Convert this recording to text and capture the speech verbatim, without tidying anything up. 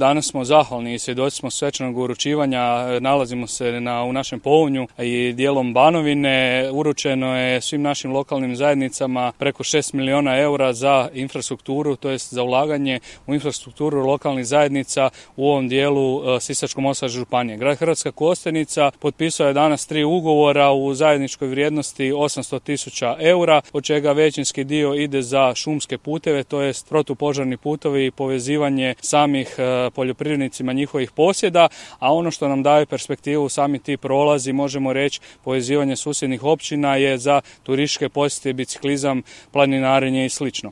Danas smo zahvalni i svjedoci smo svečanog uručivanja, nalazimo se na, u našem Pounju i dijelom Banovine. Uručeno je svim našim lokalnim zajednicama preko šest milijuna eura za infrastrukturu, to jest za ulaganje u infrastrukturu lokalnih zajednica u ovom dijelu uh, Sisačko-moslavačke županije. Grad Hrvatska Kostajnica potpisao je danas tri ugovora u zajedničkoj vrijednosti osamsto tisuća eura, od čega većinski dio ide za šumske puteve, to jest protupožarni putovi i povezivanje samih uh, poljoprivrednicima njihovih posjeda, a ono što nam daje perspektivu sami ti prolazi, možemo reći povezivanje susjednih općina je za turističke posjete, biciklizam, planinarenje i slično.